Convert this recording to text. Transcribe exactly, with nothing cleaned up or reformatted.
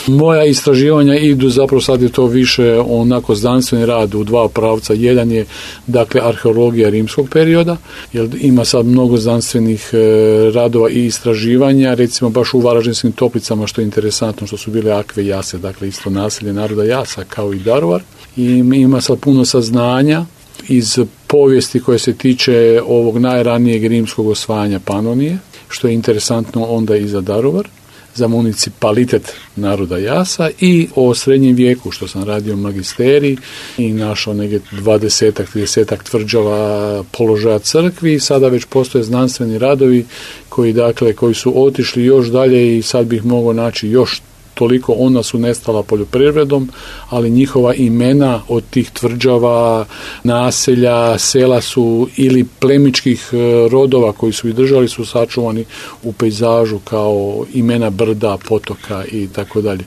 Moja istraživanja idu, zapravo sad je to više onako znanstveni rad u dva pravca. Jedan je, dakle, arheologija rimskog perioda, jer ima sad mnogo znanstvenih e, radova i istraživanja, recimo baš u Varaždinskim Toplicama, što je interesantno, što su bile Akve Jase, dakle isto naselje naroda Jasa kao i Daruvar. I ima sad puno saznanja iz povijesti koje se tiče ovog najranijeg rimskog osvajanja Panonije, što je interesantno onda i za Daruvar, za municipalitet naroda Jasa, i o srednjem vijeku, što sam radio magisterij i našao negdje dvadesetak, tridesetak tvrđava položaja crkvi. Sada već postoje znanstveni radovi koji, dakle, koji su otišli još dalje i sad bih mogao naći još toliko. Ona su nestala poljoprivredom, ali njihova imena od tih tvrđava, naselja, sela su ili plemičkih rodova koji su ih držali su sačuvani u pejzažu kao imena brda, potoka i tako dalje.